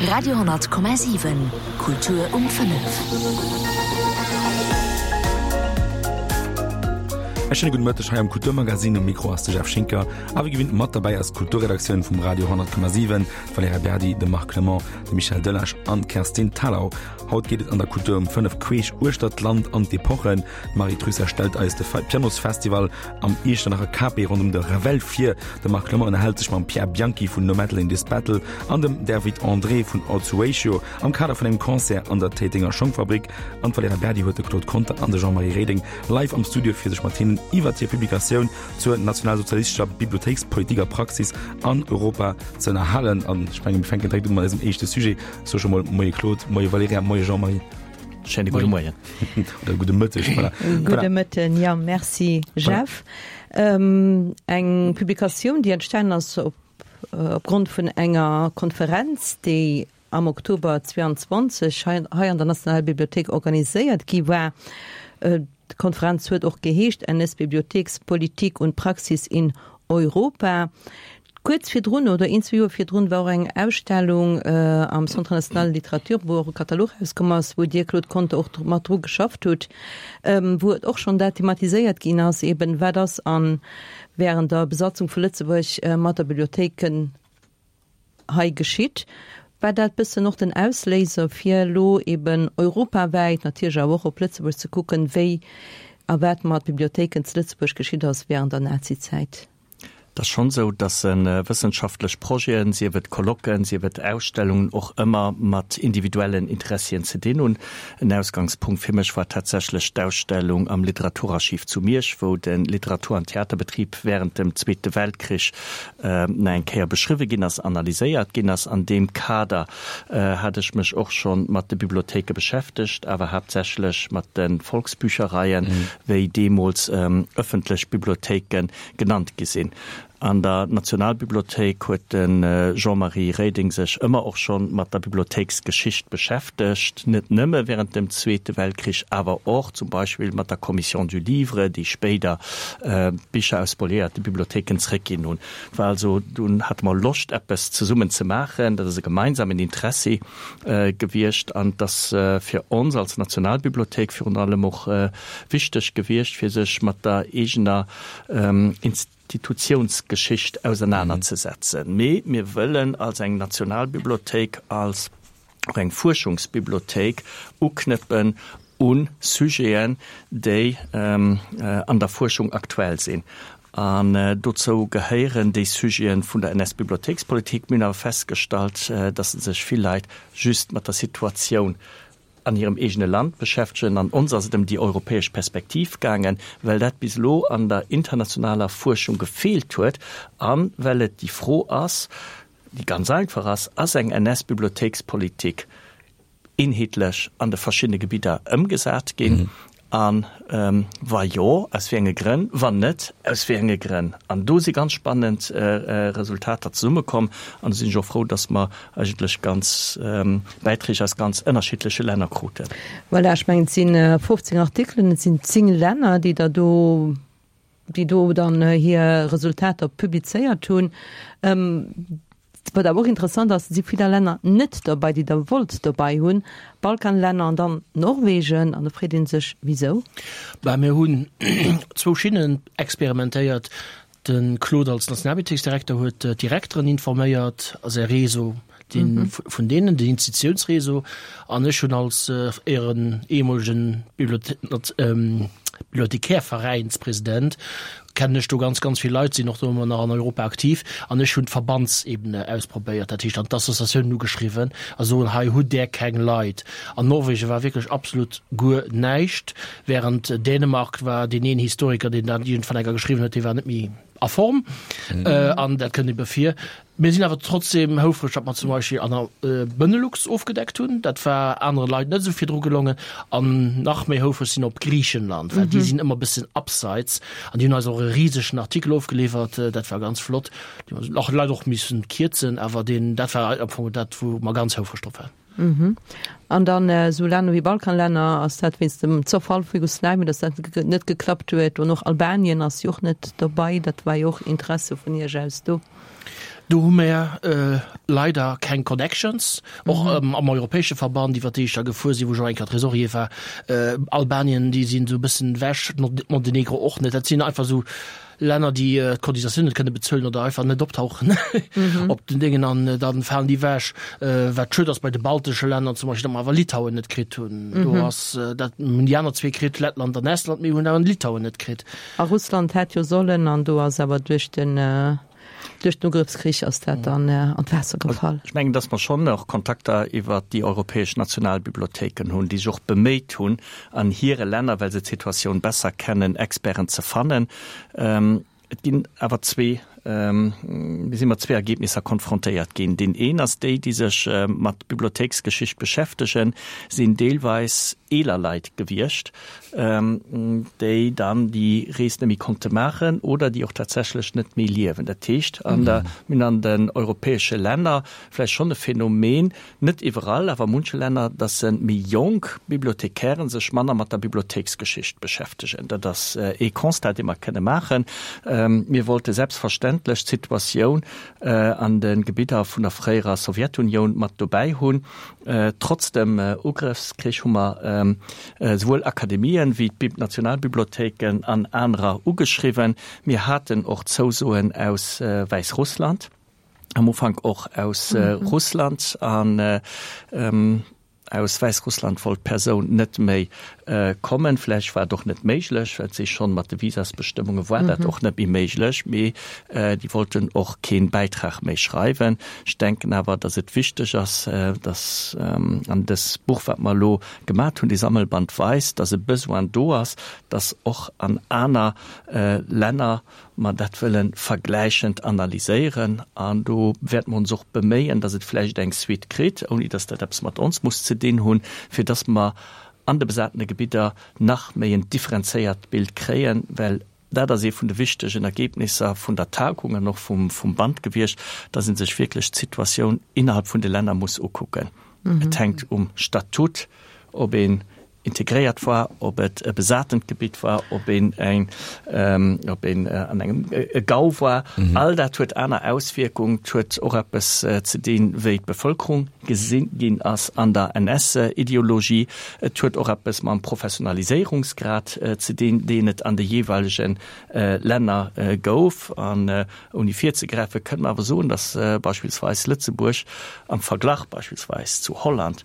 Radio 10,7 Kultur um 5. E schéine gudde Mëtteg hei am Kulturmagazin. Um Mikro ass de Jeff Schinker a wéi gewinnt mat derbäi ass d'Kulturredaktioun vum Radio 10,7, d'Valerija Berdi, de Marc Clement, de Michel Delage an d'Kerstin Thalau. Haut geet et an der Kultur um 5 queesch uechter d'Land an d'Epochen. D'Marie Trüsser stellt eis de Pianosfestival am Iechternacher Cape ronderëm de Ravel vir. De Marc Clement ënnerhält sech mam Pierre Bianchi vun No Metal in This Battle an dem David André vun Odds Ratio am Kader vun engem Concert an der Téitenger Schongfabrik. An d'Valerija Berdi huet de Claude Conter an de Jean-Marie Reding live am Studio fir sech mat hinnen iwwert hir Publikatioun zur nationalsozialistescher Bibliothéikspolitik a Praxis an Europa ze ënnerhalen. An ech mengen, mir fänken direkt u mat eisem éischte Sujet. Ech soe scho mol Moie Claude, Moie Valerija, Moie Jean-Marie. Schéine gudde Moien. Oder gudde Mëtteg, voilà. Gudde Mëtten, jo, merci Jeff. Eng Publikatioun, déi entstanen ass op opgrond vun enger Konferenz, déi am Oktober 22 hei hei an der Nationalbibliothéik organiséiert gi war. D'Konferenz huet och geheescht NS-Bibliothekspolitik und Praxis in Europa. Kuerz virdrun oder een, zwee Joer virdrun war och eng Ausstellung am Centre national de littérature, wou och e Katalog erauskomm ass, wou Dir, Claude Conter, och mat dru geschafft hutt, wou et och schonn dat thematiséiert ginn ass, eben wat ass a während der Besatzung vu Lëtzebuerg mat der Bibliothéiken hei geschitt. War dat bëssen och den Ausléiser fir elo eben europawäit, natierlech awer och op Lëtzebuerg ze kucken, wéi a wat mat Bibliothéiken zu Lëtzebuerg geschitt ass während der Nazizäit? Et ass schonn esou, dass wëssenschaftlech Projeten, sief et Colloquen, sief et Ausstellungen, och ëmmer mat individuellen Interessien ze dinn hunn. En Ausgangspunkt fir mech war tatsächlech d'Ausstellung am Literaturarchiv zu Miersch, wou de Literatur an Theaterbetrib während dem Zweete Weltkrich nach eng Kéier beschriwwe ginn ass, analyséiert ginn ass. An deem Kader hat ech mech och scho mat de Bibliothéike beschäftegt, awer haaptsächlech mat de Volksbüchereien, wéi deemools ëffentlech Bibliothéike genannt gi sinn. An der Nationalbibliothéik huet de Jean-Marie Reding sech ëmmer och scho mat der Bibliothéiksgeschicht beschäftegt, net nëmme während dem Zweete Weltkrich, awer och zum Beispill mat der Commission du Livre, déi spéider Bicher aus spoliéierte Bibliothéiken zréckginn hunn. Et war also, dunn hate mer Loscht eppes zesummen ze maachen, dat ass e gemeinsamen Interessi gewiescht an et ass fir ons als Nationalbibliothéik virun allem och wichteg gewiescht, fir sech mat der eegener Institutiounsgeschicht ausernanerzesetzen. Mee mir wëllen als eng Nationalbibliothéik, als och eng Fuerschungsbibliothéik uknëppen u Sujeten, déi an der Fuerschung aktuell sinn. An dozou gehéieren déi Sujete vun der NS-Bibliothéikspolitik. Mir hunn awer festgestallt, dass sech vill Leit just mat der Situatioun an hirem eegene Land beschäftegen. An ons ass et ëm déi europäesch Perspektiv gaangen, well dat bis elo an der internationaler Fuerschung gefeelt huet a well et déi Fro ass, déi ganz einfach ass, Ass eng NS-Bibliothéikspolitik eenheetlech an de verschiddene Gebidder ëmgesat ginn? A wa jo, aus wéi enge Grënn? Wann net, aus wéi enge Grënn? An do si ganz spannend Resultater zesummekomm. An do sinn ech och frou, dass mer eigentlech ganz Bäiträg aus ganz ënnerschiddleche Länner kruten. Voilà, ech mengen, et si 15 Artikelen, et sinn 10 Länner, déi der do, déi do dann hir Resultater publizéiert hunn. Wat awer och interessant ass, et si vill Länner net derbei, déi Der wollt derbei hunn, Balkanlänner an dann Norwegen. An da freet ee sech, Wisou? Bah, mir hunn zwou Schinnen experimentéiert. De Claude als Nationalbibliothéiksdirekter huet d'Direkteren informéiert a säi Réseau, dee vun deenen, den Institutiounsréseau. An ech hunn als éieren ehemolegen Bibliothekäerveräinspresident kennen ech do ganz, ganz vill Leit, sinn och do ëmmer nach an Europa aktiv. An ech hunn d'Verbandsebene ausprobéiert, dat heescht an d'Associatiounen ugeschriwwen a soen, hei hutt Där keng Leit. An Norwegen war wierklech absolut guer näischt, während Dänemark war deen een Historiker, deen dat iergendwann enker geschriwwen huet, dee war net méi a Form. An dat kënnt ebe vir. Mir sinn awer trotzdem houfreg, datt mer zum Beispill an der Benelux ofgedeckt hunn. Dat war anere Leit net esou virdru gelongen. An nach méi houfreg sinn op Griichenland, well déi sinn ëmmer e bëssen abseits. An déi hunn eis och e risegen Artikel ofgeliwwert. Dat war ganz flott. Déi hunn och leider och missen kierzen, awer deen, dat war am Fong dat, wou mer ganz houfreg drop waren. An dann esou Länner wéi Balkanlänner, ass dat wéinst dem Zerfall vu Jugoslawien, datt dat net geklappt huet? An och Albanien ass jo och net dobei, dat war jo och Interesse vun Iech aus do. Do hu mer leider keng Connections, och am europäesche Verband, iwwer déi ech da gefuer sinn, wou ech och eng Kéier Trésorier war. Albanien, déi sinn esou e bëssen ewech, Montenegro och net. Dat sinn einfach esou Länner, déi d'Cotisatioun net kënne bezuelen oder einfach net optauchen op den Déngen an da falen déi ewech. Wat schued ass bei de baltesche Länner zum Beispill, datt mer awer Litauen net kritt hunn. Do ass dat, hunn déi aner zwee kritt, Lettland an Estland, mir hunn awer Litauen net kritt. A Russland hätt jo sollen, an do ass awer duerch den Duerch den Ugrëffskrich ass dat dann an d'Waasser gefall. Ech mengen, datt mer schonn och Kontakter iwwert déi europäesch Nationalbibliothéiken hunn, déi sech och beméit hunn, an hire Länner, well se d'Situatioun besser kennen, Experten ze fannen. Et ginn awer zwee, mir si mat zwee Ergebnisser konfrontéiert ginn. Deen een ass, déi, déi sech mat Bibliothéiksgeschicht beschäftegen, sinn deelweis eeler Leit gewiescht, déi dann déi Rees net méi konnte maachen oder déi och tatsächlech net méi liewen. Dat heescht, an der, mir hunn an den europäesche Länner vläicht schonn e Phänomen, net iwwerall, awer a munche Länner, dass se méi jonk Bibliothekären sech manner mat der Bibliothéiksgeschicht beschäftegen. Dat ass ee Constat, dee mer kënne maachen. Mir wollte selbstverständlech d'Situatioun an de Gebidder vun der fréierer Sowjetunioun mat dobäi hunn. Trotz dem Ugrëffskrich hu mer esouwuel Akademien wéi d'Nationalbibliothéiken an anerer ugeschriwwen. Mir haten och Zousoen aus Wäissrussland, am Ufank och aus Russland. An aus Wäissrussland wollt d'Persoun net méi kommen. Vläicht war et och net méiglech, well et si schonn mat de Visasbestëmmunge war dat och net méi méiglech, mee déi wollten och kee Bäitrag méi schreiwen. Ech denken awer, datt et wichteg ass, datt an dës Buch, wat mer elo gemat hunn, dee Sammelband weist, datt e Besoin do ass, datt och an aner Länner mer dat wëlle vergläichend analyséieren. An do wäerte mer ons och beméien, datt et vläicht eng Suite kritt, ouni datt dat eppes mat ons muss ze dinn hunn, fir datt mer an de besatene Gebidder nach méi en differenzéiert Bild kréien, well dat ass ee vun de wichtegen Ergebnisser vun der Tagung an och vum Band gewiescht, dass ee sech wierklech d'Situatioun innerhalb vun de Länner muss ukucken. Et hänkt um Statut, ob een integréiert war, ob et e besatent Gebitt war, ob een eng, ob een an engem e Gau war. All dat huet aner Auswierkungen. Et huet och eppes ze dinn, wéi d'Bevëlkerung gesi ginn ass an der NS-Ideologie. Et huet och eppes mam Professionaliséierungsgrad ze dinn, deen et an de jeeweilege Länner gouf. An ouni virzegräifen, kënne mer awer soen, datt beispillsweis Lëtzebuerg am Verglach beispillsweis zu Holland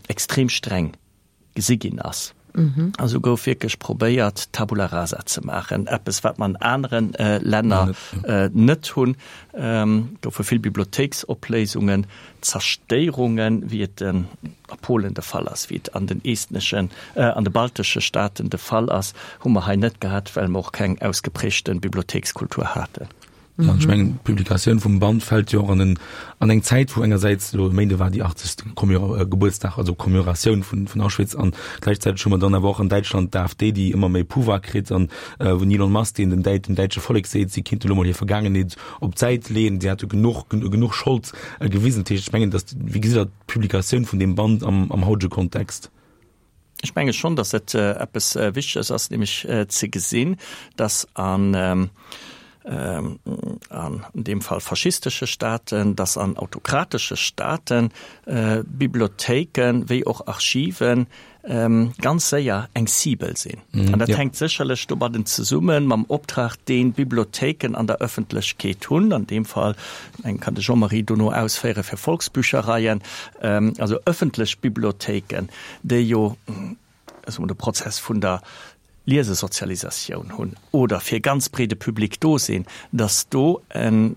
extrem streng gesi ginn ass. A sou gouf wierklech probéiert, Tabula rasa ze maachen, eppes, wat mer an anere Länner net hunn. Et goufe vill Bibliothéiksopléisungen, Zerstéierungen, wéi et a Polen de Fall ass, wéi et an den estneschen, an de baltesche Staaten de Fall ass, hu mer hei net gehat, well mer och keng ausgeprägte Bibliothéikskultur haten. Ja, ech mengen, d'Publikatioun vum Band fält jo och an en, an eng Zäit, wou engersäits elo e Méinde war déi 80. Commémor-, Gebuertsdag, also Commémoratioun vun, vun Auschwitz an gläichzäiteg hu mer dann awer och an Däitschland d'AfD, déi ëmmer méi Pouvoir kritt an wou den Elon Musk, deen den Däit, dem däitsche Vollek seet, si kinnten elo mol hir Vergaangenheet op d'Säit leeën, si hätte genuch, genuch Schold gewisen. Dat heescht, ech mengen, datt, wéi gesitt Der d'Publikatioun vun deem Band am, am hautege Kontext? Ech menge schonn, datt et eppes Wichteges ass, nämlech ze gesinn, datt an an deem Fall faschistesche Staaten, datt an autokratesche Staaten Bibliothéiken wéi och Archiven ganz séier eng Cible sinn. An dat hänkt sécherlech domadden zesumme mam Optrag, deen d'Bibliothéiken an der Ëffentlechkeet hunn, an deem Fall, eng kann de Jean-Marie dono ausféiere fir Volksbüchereien, also ëffentlech Bibliothéiken, déi jo soe mer de Prozess vun der Liesesozialisatioun hunn oder fir e ganz breede Public do sinn, datt do eng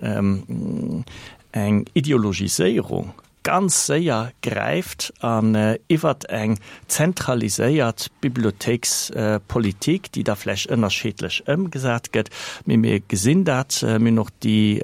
Ideologiséierung ganz séier gräift an iwwert eng zentraliséiert Bibliothéikspolitik, déi da vläicht ënnerscheedlech ëmgesat gëtt, mee mir gesinn dat, mir hunn och déi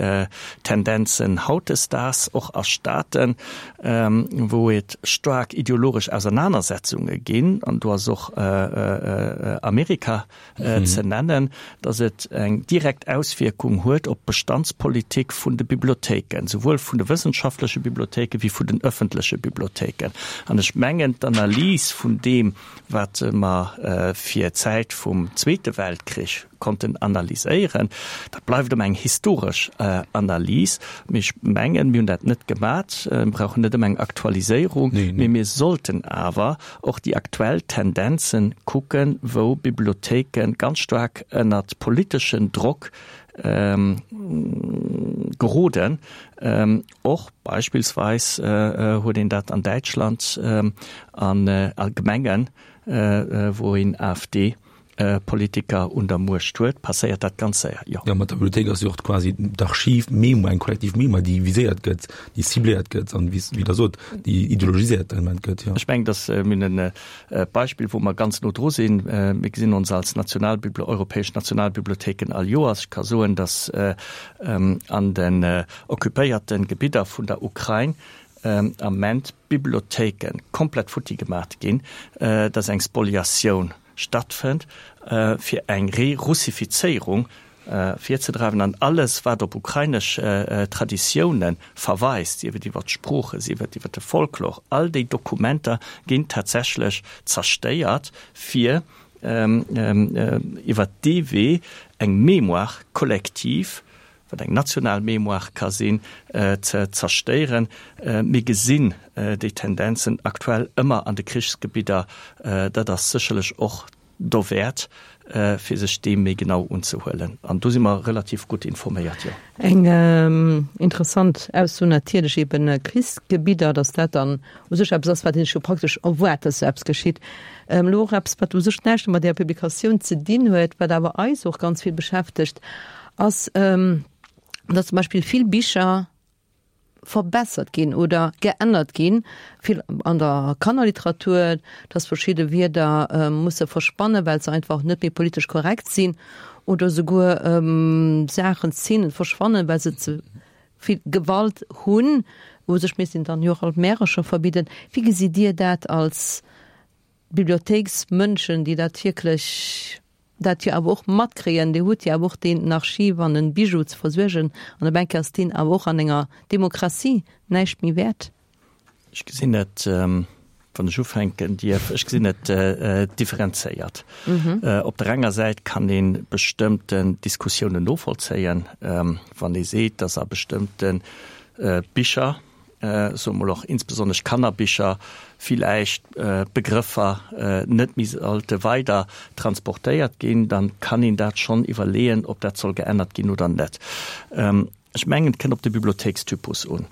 Tendenzen hautdesdaags och a Staaten, wou et staark ideologesch Ausernanersetzunge ginn, an do ass och Amerika ze nennen, datt et eng direkt Auswierkung huet op d'Bestandspolitik vun de Bibliothéiken, souwuel vun de wëssenschaftleche Bibliothéike wéi. vun den öffentleche Bibliothéiken. An ech mengen, d'Analys vun deem, wat mer fir d'Zäit vum Zweete Weltkrich konnten analyséieren, dat bleift ëmmer eng historesch Analys. Mee ech mengen, mir hunn dat net gemat. Mir brauchen net ëmmer eng Aktualiséierung, mee mir sollten awer och déi aktuell Tendenzen kucken, wou Bibliothéike ganz staark ënnert politeschen Drock geroden. Och beispillsweis huet een dat an Däitschland an a Gemengen, wou een AfD Politiker un der Muecht huet, passéiert dat ganz séier, jo. Jo, mat der Bibliothéik ass jo och quasi d'Archiv, d'Mémoire, eng kollektiv Mémoire, déi viséiert gëtt, déi cibléiert gëtt an, wéi Der sot, déi ideologiséiert element gëtt, jo. Ech mengen, dass mir hunn e Beispill, wou mer ganz no dru sinn. Mir gesinn ons als Nationalbibl-, europäesch Nationalbibliothéiken all Joers. Ech ka soen, dass an den occupéierte Gebidder vun der Ukrain am Ament d'Bibliothéike komplett futti gemaat ginn, dass eng Spoliatioun stattfënnt, fir eng Re-Russifizéierung virzedreiwen an alles, wat op ukrainesch Traditioune verweist, sief et iwwer d'Sprooche, sief et iwwer de Folklor, all déi Dokumenter ginn tatsächlech zerstéiert, fir iwwer dee Wee eng Mémoire collective wat eng national Mémoire ka sinn, ze zerstéieren. Mir gesinn déi Tendenzen aktuell ëmmer an de Krichsgebidder. Dat ass sécherlech och dowäert, fir sech deem méi genau unzehuelen. An do si mer relativ gutt informéiert, jo. Eng interessant Ausso natierlech, eben Krichsgebidder, datt dat dann u sech eppes ass, wat ee sech jo praktesch erwaart, datt esou eppes geschitt. Elo och eppes, wat u sech näischt mat där Publikatioun ze dinn huet, wat awer eis och ganz vill beschäftegt, ass, datt zum Beispill vill Bicher verbessert ginn oder geännert ginn, vill an der Kannerliteratur, datt verschidde Wierder musse verschwannen, well se einfach net méi politesch korrekt sinn oder souguer Saachen, Szenen verschwannen, well se ze vill Gewalt hunn. U sech misst een dann jo och all d'Märercher verbidden. Wéi gesitt Dir dat als Bibliothéiksmënschen, déi dat wierklech, dat jo awer och matkréien, Dir hutt jo awer och deen Archiv an en Bijou ze versuergen, an op eng Kéier ass deen awer och an enger Demokratie näischt méi wäert. Ech gesinn et, wann ech ufänken dierf, ech gesinn et differenzéiert. Op der enger Säit kann ee bestëmmten Diskussiounen novollzéien, wann ee seet, datt a bestëmmte Bicher, soe mol och insbesonnesch Kannerbicher, villäicht Begrëffer net méi sollte weider transportéiert ginn, dann kann een dat schonn iwwerleeën, ob dat soll geännert ginn oder net. Ech mengen, et kënnt op de Bibliothéikstypus un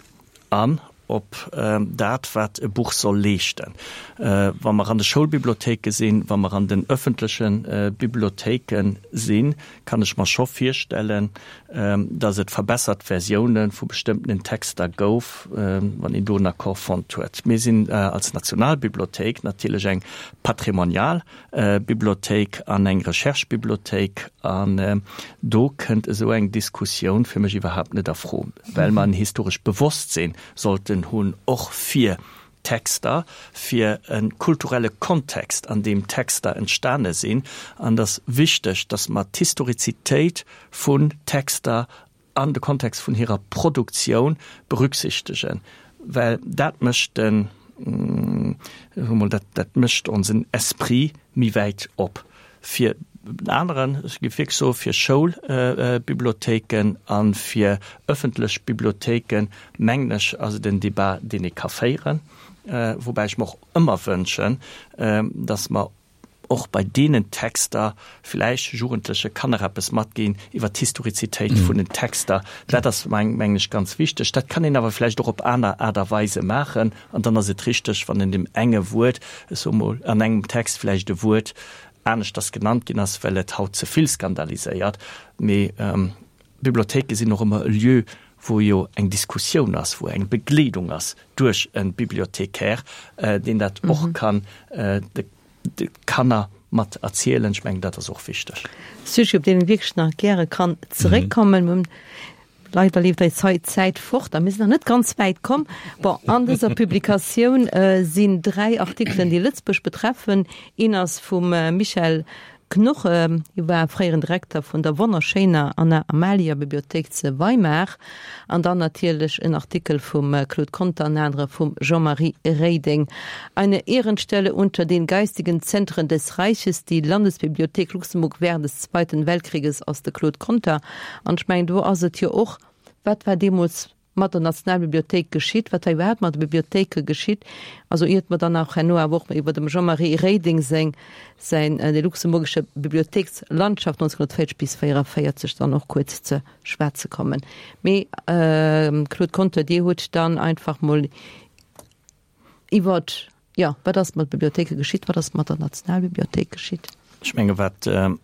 an op dat, wat e Buch soll leeschten. Wa mer an de Schoulbibliothéike sinn, wa mer an den öffentleche Bibliothéike sinn, kann ech mer scho virstellen, dass et verbessert Versioune vu bestëmmtenen Texter gouf, wann een do en Accord fonnt huet. Mir sinn als Nationalbibliothéik natierlech eng patrimonial Bibliothéik an eng Recherchebibliothéik an do kënnt esou eng Diskussioun fir mech iwwerhaapt net a Fro, well mer en historescht Bewosstsinn sollten hunn, och fir Texter, fir e kulturelle Kontext, an deem Texter entstane sinn. An et ass wichteg, datt mer d'Historizitéit vun Texter an de Kontext vun hirer Produktioun berücksichtegen, well dat mécht den, soe mol, dat, dat mécht onsen Esprit méi wäit op. Fir en aneren, ech géif wierklech soen, fir Schoulbibliothéiken a fir ëffentlech Bibliothéiken, mengen ech, ass et en Débat, deen ee ka féieren, woubäi ech mer och ëmmer wënschen, dass mer och bei deenen Texter vläicht Jugendleche Kanner eppes matginn iwwer d'Historizitéit vun den Texter. Dat ass, mengen ech, ganz wichteg. Dat kann een awer vläicht och op aner Aart a Weise maachen. An dann ass et richteg, wann en dem enge Wuert, ech soe mol, an engem Text vläicht e Wuert aneschters genannt ginn ass, well et haut ze vill skandaliséiert. Mee Bibliothéike sinn och ëmmer e Lieu, wou jo eng Diskussioun ass, wou eng Begleedung ass duerch e Bibliothécaire, deen dat och kann de Kanner mat erzielen. Ech mengen, dat ass och wichteg. Sujet, op deen ee wierklech nach gäre kann zeréckkommen. Mir hunn leider leeft eis Zäit fort a mir sinn nach net ganz wäit komm. Bon, an dëser Publikatioun sinn 3 Artikelen, déi Lëtzebuerg betreffen. Een ass vum Michel. Knoche, hie war fréieren Direkter vun der wonnerschéiner Anna-Amalia-Bibliothéik ze Weimar, an dann natierlech en Artikel vum Claude Conter an anere vum Jean-Marie Reding, Eine Ehrenstelle unter den geistigen Zentren des Reiches, die Landesbibliothek Luxemburg während des Zweiten Weltkrieges ass de Claude Conter. An ech mengen, do ass et jo och, wat war deemools mat der Nationalbibliothéik geschitt, wat war iwwerhaapt mat de Bibliothéike geschitt, also iert mer dann auch herno awer och iwwer dem Jean-Marie Reding seng, säin Die luxemburgische Bibliothekslandschaft 1940 bis 1944 dann och kuerz ze schwätze kommen. Mee Claude Conter, Dir hutt dann einfach mol iwwer, jo, wat ass mat Bibliothéike geschitt, wat ass mat der Nationalbibliothéik geschitt? Ech menge wat am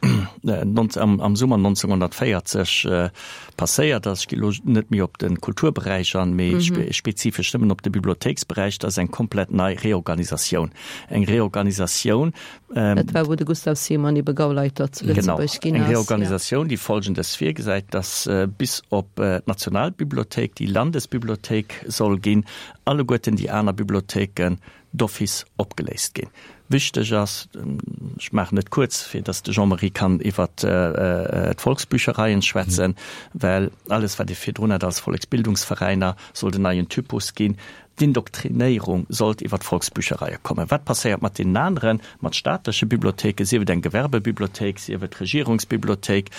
Summer 1940 passéiert ass, ech gi lo net méi op de Kulturberäich an, mee spezifesch nëmmen op de Bibliothéiksberäich, dat ass eng komplett nei Reorganisatioun. Eng Reorganisatioun. Dat war wou de Gustav Simon ebe Gauleiter zu Lëtzebuerg ginn ass. Genau, eng Reorganisatioun, déi Folgendes virgesäit, datt bis op d'Nationalbibliothéik, déi Landesbibliothéik soll ginn, alleguerten déi aner Bibliothéiken d'office opgeléist ginn. Wichteg ass, ech maachen et kuerz, fir datt de Jean-Marie kann iwwert d'Volksbüchereien schwätzen, well alles wat ee virdrun hat als Volleksbildungsveräiner, sollt en neien Typus ginn. D'Indoktrinéierung sollt iwwer d'Volksbüchereie kommen. Wat passéiert mat deenen aneren, mat staatleche Bibliothéiken, sief et eng Gewerbebibliothéik, sief et d'Regierungsbibliothéik,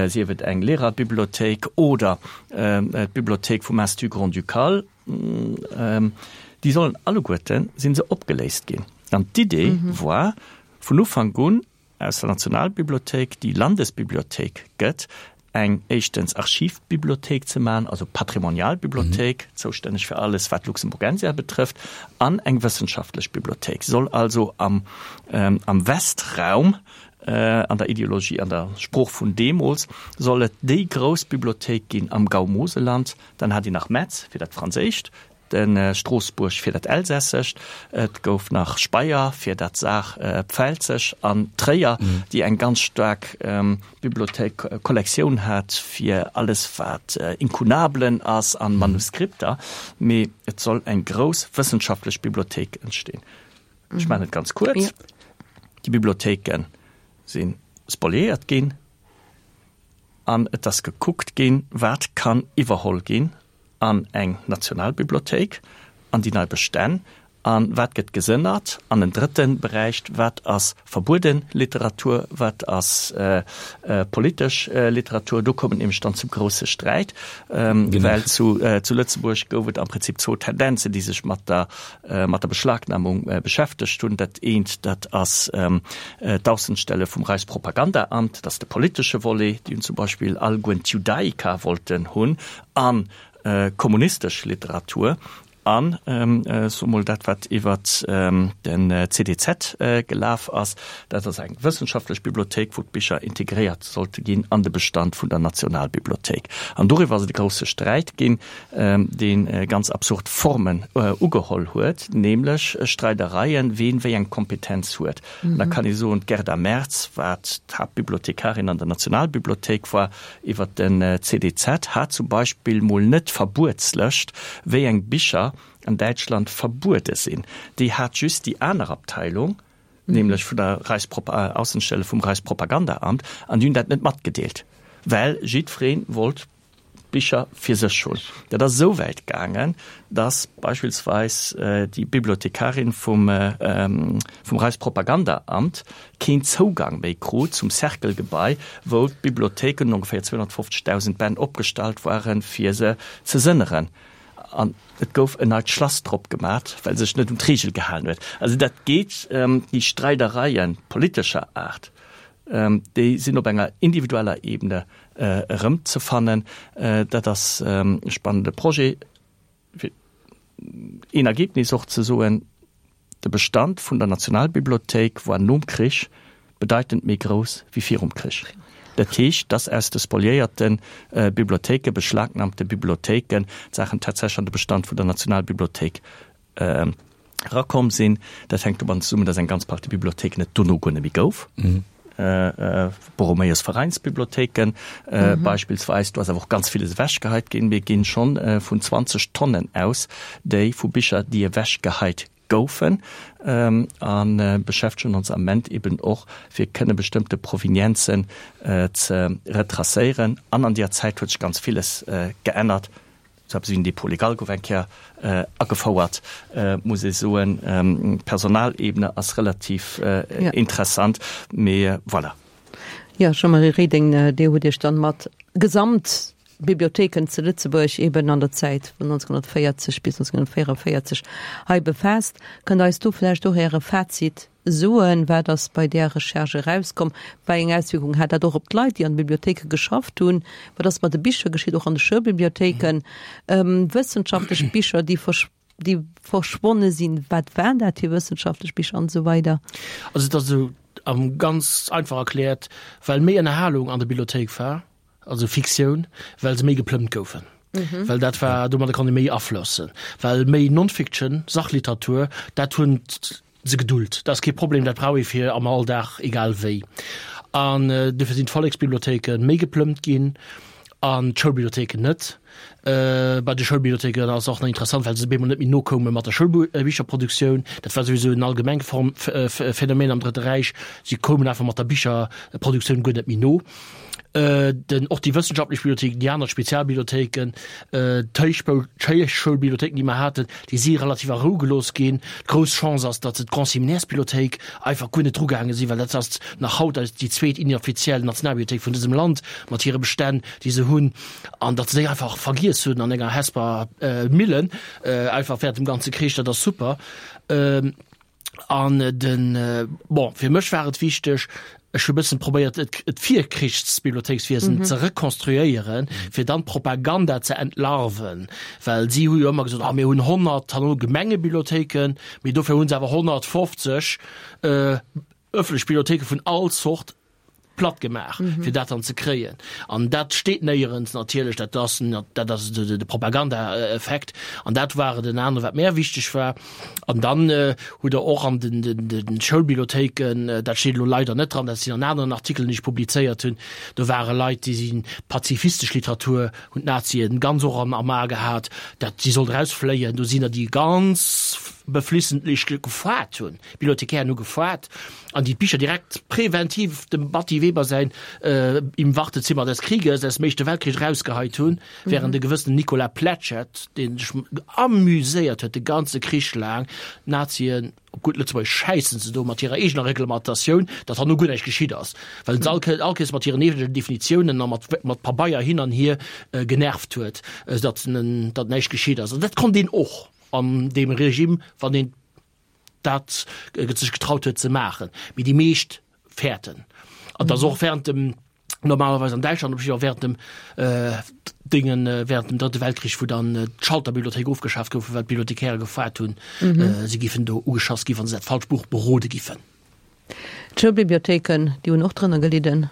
sief et eng Lehrerbibliothéik oder d'Bibliothéik vum Institut grand-ducal? Déi sollen alleguerte si se opgeléist ginn. An d'Idee war vun Ufank un aus der Nationalbibliothéik déi Landesbibliothéik gëtt, eng éischtens Archivbibliothéik ze maachen, also Patrimonialbibliothéik, zoustänneg fir alles wat Luxemburgensia betrëfft, an eng wëssenschaftlech Bibliothéik. Se soll also am am Westraum, an der Ideologie, an der Sprooch vun deemools, soll et déi grouss Bibliothéik ginn am Gau Moselland, Dann hat een nach Metz fir dat Franséischt, de Stroossbuerg fir dat Elsässescht, et gouf nach Speyer fir dat Saar-Pfälzesch an Tréier, déi eng ganz staark Bibliothéik, Kollektioun hat fir alles wat Inkunabelen ass an Manuskripter. Mee et soll eng grouss wëssenschaftlech Bibliothéik entstinn. Ech maachen et ganz kuerz, Déi Bibliothéike si spoliéiert ginn. An et ass gekuckt ginn, wat kann iwwerholl ginn an eng Nationalbibliothéik, an déi nei Bestänn, a wat gëtt gesënnert an en drëtte Beräich, wat ass verbuede Literatur, wat ass politesch Literatur. Do koum et nämlech dann zum grousse Sträit, well zu Lëtzebuerg gouf et am Prinzip zwou Tendenzen, déi sech mat der mat der Beschlagnahmung beschäftegt hunn. Dat eent, dat ass d'Aussenstelle vum Reichspropagandaamt, dat ass de politesche Volet, déi hunn zum Beispill allegueren d'Judaica wollten hunn a kommunistesch Literatur an, soe mol, dat wat iwwert den CDZ gelaf ass, dat ass eng wëssenschaftlech Bibliothéik, wou d'Bicher integréiert sollte ginn an de Bestand vun der Nationalbibliothéik. An doriwwer ass et e grousse Sträit ginn. dee ganz absurd Formen ugeholl huet, nämlech Streidereien, ween wéi eng Kompetenz huet. An da kann ee soen, d'Gerda Merz, wat d'Haaptbibliothekarin an der Nationalbibliothéik war, iwwer den CDZ, hat zum Beispill mol net d'Verbuetslëscht, wéi eng Bicher an Däitschland verbuede sinn. Déi hat just déi aner Abteilung, nämlech vun der Reichspropa-, Aussenstelle vum Reichspropagandaamt, an déi hunn dat net matgedeelt, well jiddweree wollt Bicher fir sech hunn. Dat ass esou wäit gaangen, datt beispillsweis déi Bibliothekarin vum vum Reichspropagandaamt keen Zougang méi krut zum Cercle-Gebai, wou d'Bibliothéiken, ongeféier 250.000 Bänn, opgestallt waren, fir se ze sënneren. An et gouf en neit Schlass drop gemat, well se sech net un d'Reegel gehalen huet. Also dat geet, déi Streidereien politescher Aart, Déi sinn op enger individueller Ebene erëmzefannen. Dat ass e spannende Projet. Fir een Ergebnis och ze soen, De Bestand vun der Nationalbibliothéik war nom Krich bedeitend méi grouss wéi virum Krich. Dat heescht, dass aus de spoliéierte Bibliothéiken, beschlagnahmte Bibliothéiken, d'Saachen tatsächlech an de Bestand vun der Nationalbibliothéik Erakomm sinn. Dat hänkt domadden zesummen, datt eng ganz Partie Bibliothéiken et dono guer net méi gouf. Borromäus Veräinsbibliothéiken beispillsweis. Do ass awer och ganz villes ewechgeheit ginn. Mir ginn schonn vun 20 Tonnen aus, déi vu Bicher, déi ewechgeheit. goufen a beschäftegen ons am Ament eben och fir kënne bestëmmte Provenienzen ze retracéieren. An an deeër Zäit huet sech ganz villes geännert. Sou eppes wéi en Dépôt légal gouf eng Kéier agefouert, muss ee soen. D'Personalebene ass relativ interessant, mee voilà. Jo, Jean-Marie Reding, Dir hutt Iech dann mat gesamt Bibliothéiken zu Lëtzebuerg eben an der Zäit vun 1940 bis 1944 hei befaasst. Kënnt Der eis do vläicht och Äre Fazit soen? Wat ass bei där Recherche erauskomm? Wei eng Auswierkung hat dat och op d'Leit, déi an de Bibliothéike geschafft hunn? Wat ass mat de Bicher geschitt, och an de Schoulbibliothéiken? Wëssenschaftlech Bicher, déi déi verschwonne sinn, wat waren dat fir wëssenschaftlech Bicher an esou weider? Also et ass esou, ganz einfach erkläert, well méi Ënnerhalung an der Bibliothéik war, also Fiktioun, well se méi geplëmmt goufen. Mhm. Well dat war, domadder konnt ee méi aflossen. Well méi Non-Fiction, Sachliteratur, dat hunn se geduld. Dat ass kee Problem, dat brauch ee fir am Alldag, egal wéi. An äh, dofir sinn d'Volleksbibliothéike méi geplëmmt ginn an d'Schoulbibliothéiken net. Äh, bei de Schoulbibliothéiken ass och nach interessant, well se bemol net méi nokoume mat der Schoulbicherproduktioun. Dat war souwisou en allgemeng Form, Phänomen am Drëtte Räich. Si koumen einfach mat der Bicherproduktioun guer net méi no. Den, och déi wëssenschaftlech Bibliothéiken, déi aner Spezialbibliothéiken, d'Héichschoulbibliothéiken, déi mer haten, déi si relativ a Rou gelooss ginn. D'grouss Chance ass, datt se d'Grand-Séminaires-Bibliothéik einfach guer net drugaange sinn, well dat ass nach haut eis déi zweet inoffiziell Nationalbibliothéik vun dësem Land mat hire Bestänn, déi se hunn, an datt se déi einfach vergiess hunn an enger Hesper Millen, einfach während dem ganze Krich. Dat ass super. An den, bon, fir mech war et wichteg, ech hu bëssen probéiert, et, et Virkrichsbibliothéikswiesen ze rekonstruéieren, fir dann d'Propaganda ze entlarven. Well si hu jo ëmmer gesot, ah mir hunn 100 herno Gemengebibliothéiken, mee dofir hu se awer 150 ëffentlech Bibliothéike vun all Zort platt gemaach, fir dat dann ze kréien. An dat steet néierens natierlech, dat ass, dat ass de Propagandaeffekt. An dat war et en anere wat mär wichteg war. An dann hutt Der och an den, den, den Schoulbibliothéiken, dat steet elo leider net dran, dat sinn an aneren Artikelen, déi ech publizéiert hunn, do ware Leit, déi sinn d'pazifistesch Literatur hunn d'Nazien ganz och am, am A gehat, dat si sollt erausfléien. Do sinn der, déi ganz beflissentlech gefaart hunn, d'Bibliothekären hu gefaart. An déi d'Bicher direkt präventiv dem Batty Weber säin Im Wartezimmer des Krieges aus dem Éischte Weltkrich erausgeheit hunn, während e gewëssenen Nicolas Pletschette, dee sech amuséiert huet de ganze Krich laang, d'Nazien op gutt Lëtzebuergesch schäissen ze doen mat hirer eegener Reglementatioun, datt herno guer näischt geschitt ass, well en se all all Kéiers mat hiren eegenen Definitiounen a mat mat Pabeier hin an hier genervt huet, datt datt näischt geschitt ass. An dat konnt een och an deem Regime, wann een dat sech getraut huet ze maachen, mee déi meescht fäerten. An dass och während dem normalerweis an Däitschland op jiddwer während dem äh, Dingen äh, während dem Drëtte Weltkrich, wou dann äh, d'Schalterbibliothéik ofgeschaaft goufen, well d'Bibliothekäre gefaart hunn, mhm. äh, si giffen do ugeschass gi, wann se dat falscht Buch berode giffen. D'Schoulbibliothéiken, déi hunn och drënner gelidden.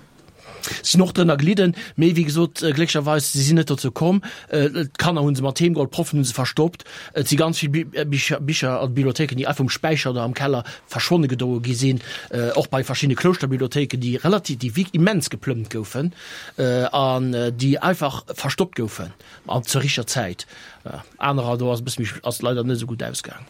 Sinn och drënner gelidden, mee wéi gesot, glécklecherweis, si sinn net dozou komm. D'Kanner hu se mat heem geholl, d'Proffen hu se verstoppt. Et si ganz vill Bicher, Bicher an Bibliothéiken, déi einfach um Späicher oder am Keller verschwonne gedoe gi sinn, och bei verschiddene Klouschterbibliothéiken, déi relativ, déi wierk immens geplëmmt goufen an déi einfach verstoppt goufen an zur richteger Zäit. Anerer, do ass e bësse méi, ass leider net esou gutt ausgaang.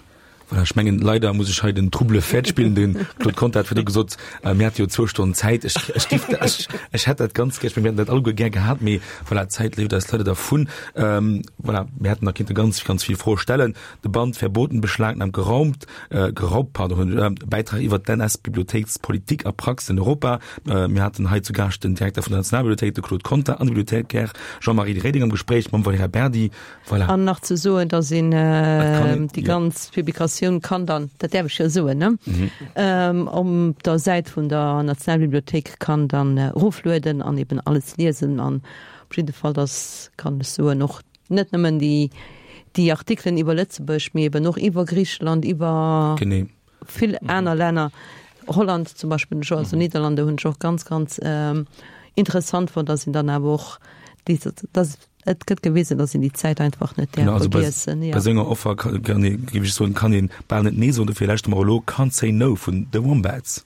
Voilà, ech mengen, leider muss ech hei den Trouble fête spillen. Den Claude Conter hat virdu gesot, äh, mir hate jo zwou Stonnen Zäit. Ech, ech, giff, ech, ech hätt dat ganz gär, ech meng, mir hätten dat alleguer gär gehat, mee voilà, d'Zäit leeft eis leider dervun. Ähm, voilà, mir hätten nach kinnte ganz, ganz vill Froe stellen. De Band Verboten, beschlagnahmt, geraumt, äh, geraubt, pardon, äh, Bäitrag iwwer d'NS-Bibliothéikspolitik a Praxis in Europa. Äh, mir haten hei zu Gaascht den Direkter vun der Nationalbibliothéik, de Claude Conter, an de Bibliothéikär Jean-Marie Reding am Gespréich mam Valerija Berdi. Voilà. An nach ze soen, dass een déi ganz Publikatioun kann dann, dat däerf ech jo soen, ne, op der Säit vun der Nationalbibliothéik kann dann eroflueden an eben alles liesen. An op jidde Fall, dass, kann ech soen, och net nëmmen déi, déi Artikelen iwwer Lëtzebuerg, mee eben och iwwer Griicheland, iwwer. Genee. Vill aner Länner, Holland zum Beispill hunn ech och, also Niederlande hunn ech och ganz, ganz interessant fonnt, dass een dann awer och déi, dass et gëtt gewisen, dass een déi Zäit einfach net däerf Genau, also bei, vergiessen, ja. bei esou enger Offer kann, kann ee, géif ech soen, kann een bal net nee soen. Dofir lauschteren mer elo Can't Say No vun The Wombats.